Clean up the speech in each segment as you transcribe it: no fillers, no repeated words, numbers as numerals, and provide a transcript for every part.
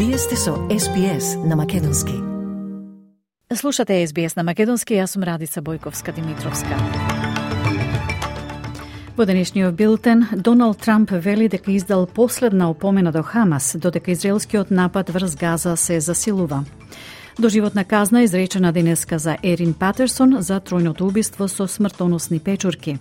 Вие сте со SBS на македонски. Слушате SBS на македонски, јас сум Радица Бојковска-Димитровска. Во денешниот билтен, Доналд Трамп вели дека издал последна опомена до Хамас, додека израелскиот напад врз Газа се засилува. Доживотна казна изречена денеска за Ерин Патерсон за тројното убиство со смртоносни печурки.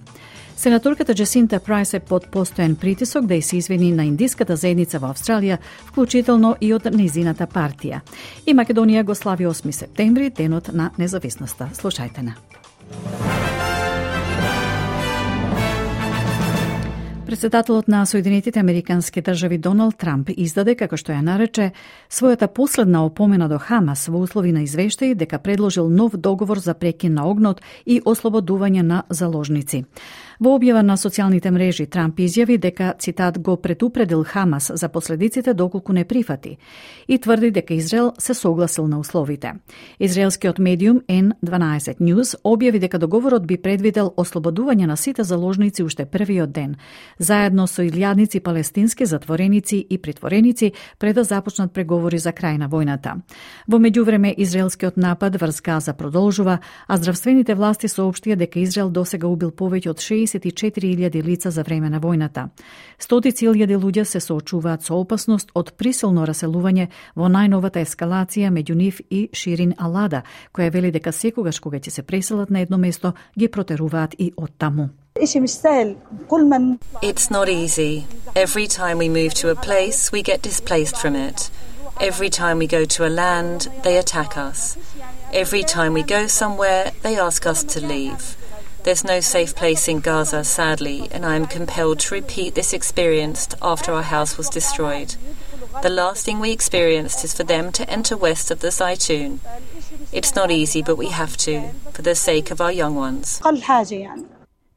Сенаторката Джасинта Прайс е под постојан притисок да се извини на индиската заедница во Австралија, вклучително и од незината партија. И Македонија го слави 8 септември, денот на независноста. Слушајте на. Председателот на Соединетите Американски држави Доналд Трамп издаде, како што ја нарече, својата последна опомена до Хамас во услови на извештаи дека предложил нов договор за прекин на огнот и ослободување на заложници. Во објава на социјалните мрежи Трамп изјави дека, цитат, го предупредил Хамас за последиците доколку не прифати и тврди дека Израел се согласил на условите. Израелскиот медиум N12 News објави дека договорот би предвидел ослободување на сите заложници уште првиот ден, заедно со илјадници палестински затвореници и притвореници пред да започнат преговори за крај на војната. Во меѓувреме, израелскиот напад врз Газа продолжува, а здравствените власти соопштија дека Израел досега убил повеќе од 64.000 лица за време на војната. Стотици илјади луѓе се соочуваат со опасност од присилно раселување во најновата ескалација меѓу нив и Ширин Алада, која вели дека секогаш кога ќе се преселат на едно место, ги протеруваат и од таму. It's not easy. Every time we move to a place, we get displaced from it. Every time we go to a land, they attack us. Every time we go somewhere, they ask us to leave. There's no safe place in Gaza, sadly, and I am compelled to repeat this experience after our house was destroyed. The last thing we experienced is for them to enter west of the Zaytun. It's not easy, but we have to, for the sake of our young ones.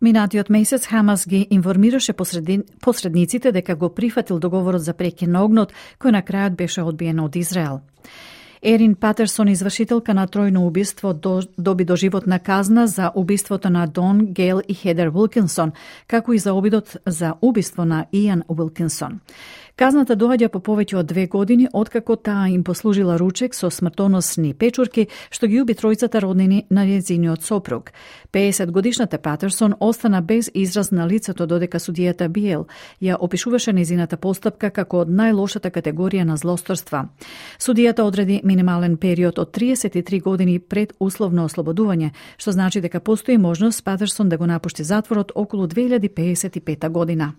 Минатиот месец Хамас ги информираше посредниците дека го прифатил договорот за прекин на огнот, кој на крајот беше одбиен од Израел. Ерин Патерсон, извршителка на тројно убиство, доби доживотна казна за убиството на Дон, Гейл и Хедер Уилкинсон, како и за обидот за убиство на Ијан Уилкинсон. Казната доаѓа по повеќе од 2 години откако таа им послужила ручек со смртоносни печурки што ги уби тројцата роднини на нејзиниот сопруг. 50-годишната Патерсон остана без израз на лицето додека судијата Биел ја опишуваше нејзината постапка како од најлошата категорија на злосторства. Судијата одреди минимален период од 33 години пред условно ослободување, што значи дека постои можност Патерсон да го напушти затворот околу 2055 година.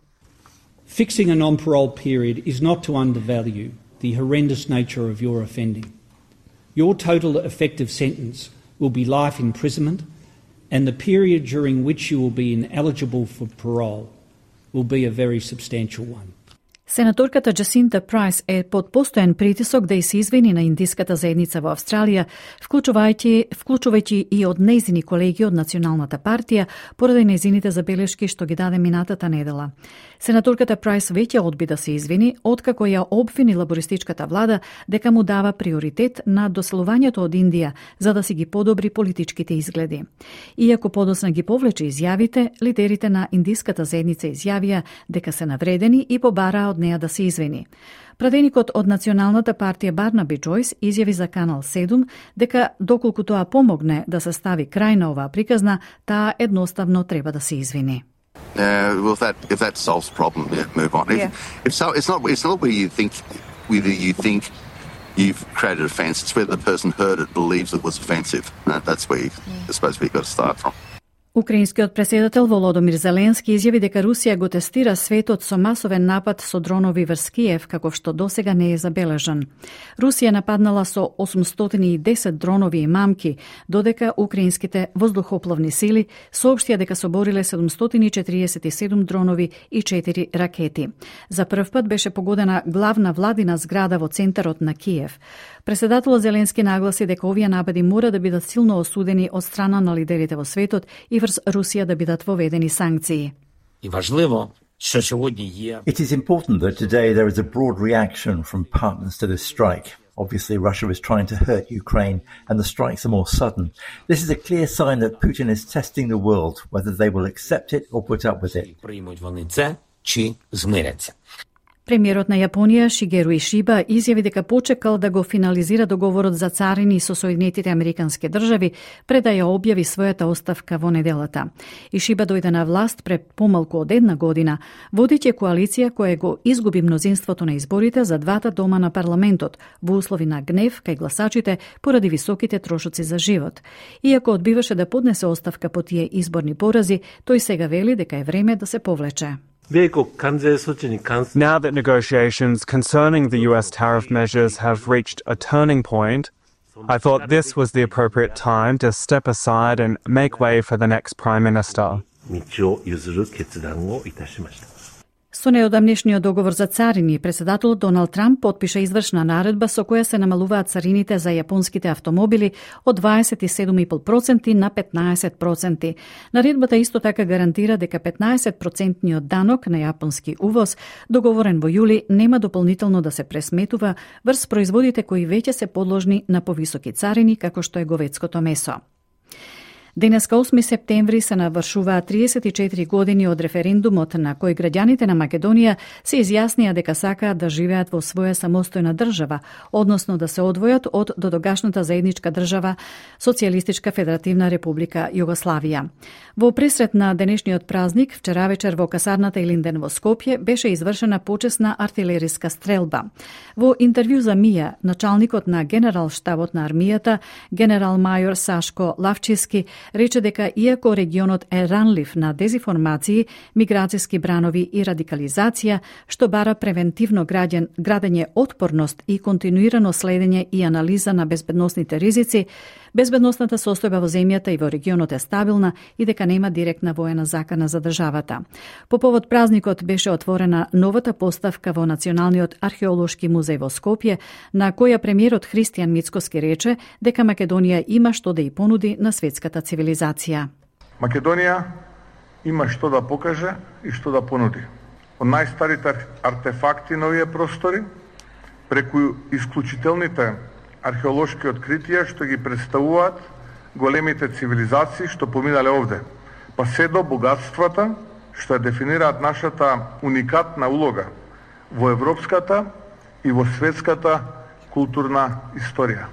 Fixing a non-parole period is not to undervalue the horrendous nature of your offending. Your total effective sentence will be life imprisonment, and the period during which you will be ineligible for parole will be a very substantial one. Сенаторката Джасинта Прайс е под постојан притисок да се извини на индиската заедница во Австралија, вклучувајќи и од нејзини колеги од Националната партија, поради нејзините забелешки што ги даде минатата недела. Сенаторката Прайс веќе одби да се извини, откако ја обвини лабористичката влада дека му дава приоритет на доселувањето од Индија, за да си ги подобри политичките изгледи. Иако подоцна ги повлече изјавите, лидерите на индиската заедница изјавија дека се навредени и побараа од неа да се извини. Пратеникот од Националната партија Барнаби Джойс изјави за Канал 7 дека доколку тоа помогне да се стави крај на оваа приказна, таа едноставно треба да се извини. If that solves the problem, move on. Yeah. It's not where you think you've created offence. It's whether the person heard it believes it was offensive. That's where you're supposed to be got to start from. Украинскиот претседател Володомир Зеленски изјави дека Русија го тестира светот со масовен напад со дронови врз Киев, каков што досега не е забележан. Русија нападнала со 810 дронови и мамки, додека украинските воздухопловни сили соопштија дека собориле 747 дронови и 4 ракети. За прв пат беше погодена главна владина зграда во центарот на Киев. Претседателот Зеленски нагласи дека овие напади мора да бидат силно осудени од страна на лидерите во светот и врз Русија да бидат воведени санкции. It is important that today there is a broad reaction from partners to this strike. Obviously, Russia is trying to hurt Ukraine, and the strikes are more sudden. This is a clear sign that Putin is testing the world, whether they will accept it or put up with it. Премиерот на Јапонија Шигеру Ишиба изјави дека почекал да го финализира договорот за царини со Соединетите Американски држави пред да ја објави својата оставка во неделата. Ишиба дојде на власт пред помалку од една година, водејќи коалиција која го изгуби мнозинството на изборите за двата дома на парламентот во услови на гнев кај гласачите поради високите трошоци за живот. Иако одбиваше да поднесе оставка по тие изборни порази, тој сега вели дека е време да се повлече. Now that negotiations concerning the US tariff measures have reached a turning point, I thought this was the appropriate time to step aside and make way for the next Prime Minister. Со неодамнешниот договор за царини, председателот Доналд Трамп потпиша извршна наредба со која се намалуваат царините за јапонските автомобили од 27,5% на 15%. Наредбата исто така гарантира дека 15% данок на јапонски увоз, договорен во јули, нема дополнително да се пресметува врз производите кои веќе се подложни на повисоки царини, како што е говедското месо. Денеска 8 септември се навршуваат 34 години од референдумот на кој граѓаните на Македонија се изјаснија дека сакаат да живеат во своја самостојна држава, односно да се одвојат од додогашната заедничка држава Социјалистичка Федеративна Република Југославија. Во пресрет на денешниот празник, вчера вечер во касарната Илинден во Скопје беше извршена почесна артилериска стрелба. Во интервју за МИА, началникот на генерал штабот на армијата, генерал мајор Сашко Лавчевски, рече дека иако регионот е ранлив на дезинформации, миграцијски бранови и радикализација, што бара превентивно градење отпорност и континуирано следење и анализа на безбедносните ризици, безбедносната состојба во земјата и во регионот е стабилна и дека нема директна воена закана за државата. По повод празникот беше отворена новата поставка во Националниот археолошки музеј во Скопје, на која премиерот Христијан Мицкоски рече дека Македонија има што да и понуди на светската цивилизација. Македонија има што да покаже и што да понуди. Од најстарите артефакти на овие простори, преку исклучителните археолошки откритија што ги представуваат големите цивилизации што поминале овде, па се до богатствата што ја дефинираат нашата уникатна улога во европската и во светската културна историја.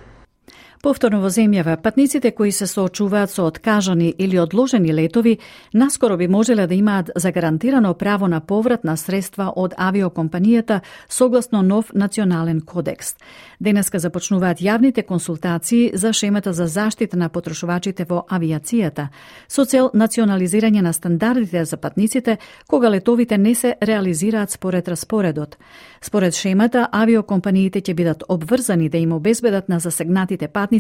Повторно во земјава, патниците кои се соочуваат со откажани или одложени летови, наскоро би можеле да имаат загарантирано право на поврат на средства од авиокомпанијата согласно нов национален кодекс. Денеска започнуваат јавните консултации за шемата за заштита на потрошувачите во авиацијата, со цел национализирање на стандардите за патниците кога летовите не се реализираат според распоредот. Според шемата, авиокомпаниите ќе бидат обврзани да им обезбедат на засегнатите патници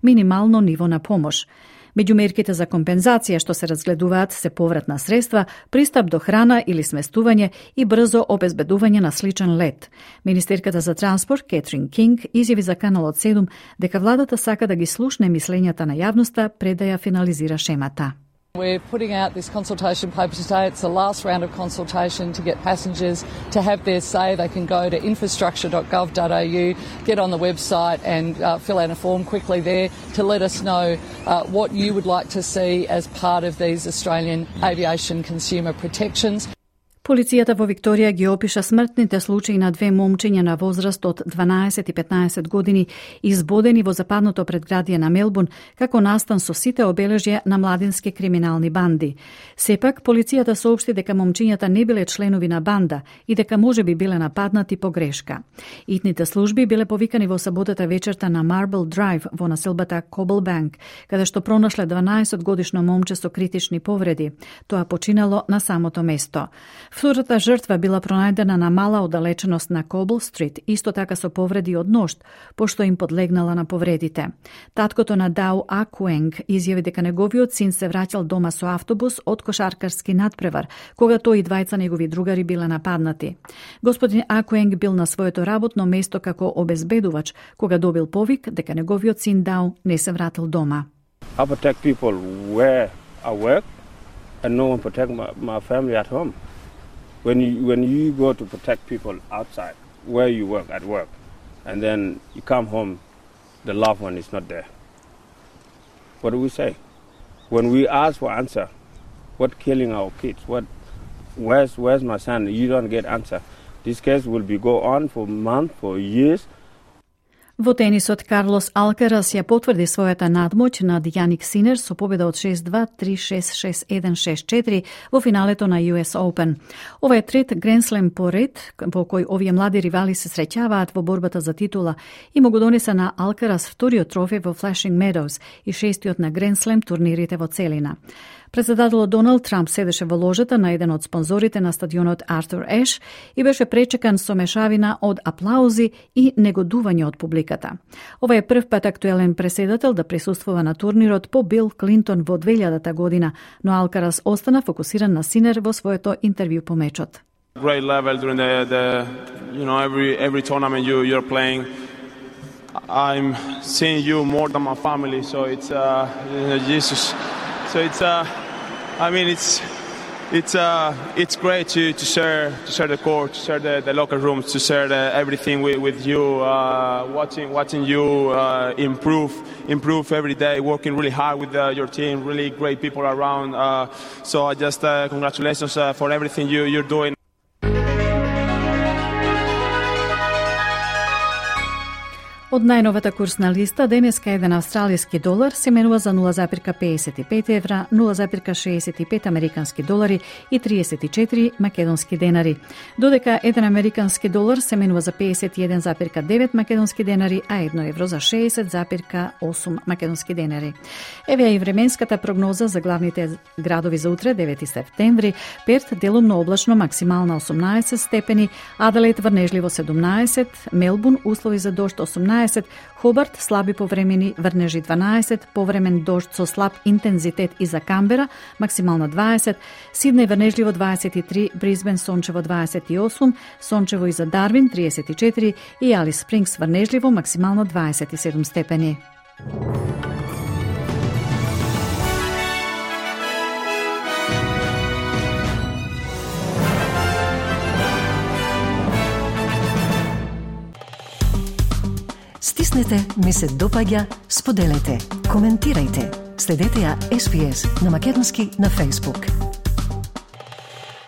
минимално ниво на помош. Меѓу мерките за компензација што се разгледуваат се повратна средства, пристап до храна или сместување и брзо обезбедување на сличен лет. Министерката за транспорт Кетрин Кинг изјави за Каналот 7 дека владата сака да ги слушне мислењата на јавноста пред да ја финализира шемата. We're putting out this consultation paper today. It's the last round of consultation to get passengers to have their say. They can go to infrastructure.gov.au, get on the website and fill out a form quickly there to let us know what you would like to see as part of these Australian aviation consumer protections. Полицијата во Викторија ги опиша смртните случаи на две момчиња на возраст од 12 и 15 години избодени во западното предградие на Мелбурн како настан со сите обележја на младински криминални банди. Сепак, полицијата соопшти дека момчињата не биле членови на банда и дека можеби биле нападнати по грешка. Итните служби биле повикани во саботата вечерта на Marble Drive во населбата Cobblebank, каде што пронашле 12-годишно момче со критични повреди. Тоа починало на самото место. Втората жртва била пронајдена на мала оддалеченост на Кобл Стрит, исто така со повреди од ношт, пошто им подлегнала на повредите. Таткото на Дау Акуенг изјави дека неговиот син се враќал дома со автобус од кошаркарски надпревар, кога тој и двајца негови другари биле нападнати. Господин Акуенг бил на своето работно место како обезбедувач, кога добил повик дека неговиот син Дау не се вратил дома. I protect people where I work and no one protect my family at home. When you go to protect people outside, where you work, at work, and then you come home, the loved one is not there. What do we say? When we ask for answer, what killing our kids? Where's my son? You don't get answer. This case will be go on for months, for years. Во тенисот Карлос Алкарас ја потврди својата надмоќ над Јаник Синер со победа од 6-2, 3-6, 6-1, 6-4 во финалето на US Open. Ова е трет Гренслем по ред во кој овие млади ривали се среќаваат во борбата за титула и му го донеса на Алкарас вториот трофеј во Flushing Meadows и шестиот на Гренслем турнирите во целина. Председателот Доналд Трамп седеше во ложата на еден од спонзорите на стадионот Артур Еш и беше пречекан со мешавина од аплаузи и негодување од публиката. Ова е прв пат актуелен преседател да присуствува на турнирот по Бил Клинтон во 2000 година, но Алкарас остана фокусиран на Синер во своето интервју по мечот. Great level during every tournament you're playing. I'm seeing you more than my family, so it's Jesus. So it's great to share the court, to share the locker rooms, to share everything with you, watching you improve every day, working really hard with your team, really great people around. So I just congratulations for everything you're doing. Од најновата курсна листа, денеска еден австралиски долар се менува за 0,55 евра, 0,65 американски долари и 34 македонски денари. Додека еден американски долар се менува за 51,9 македонски денари, а 1 евро за 60,8 македонски денари. Еве и временската прогноза за главните градови за утре, 9 септември. Перт делумно облачно, максимална 18 степени, Аделаид врнежливо 17, Мелбурн услови за дожд 18, Хобарт слаби повремени врнежи 12, повремен дожд со слаб интензитет и за Камбера, максимално 20, Сиднеј врнежливо 23, Брисбен сончево 28, сончево и за Дарвин 34 и Алис Спрингс врнежливо, максимално 27 степени. Стиснете, ми се допаѓа, споделете, коментирајте. Следете ја SPS на македонски на Facebook.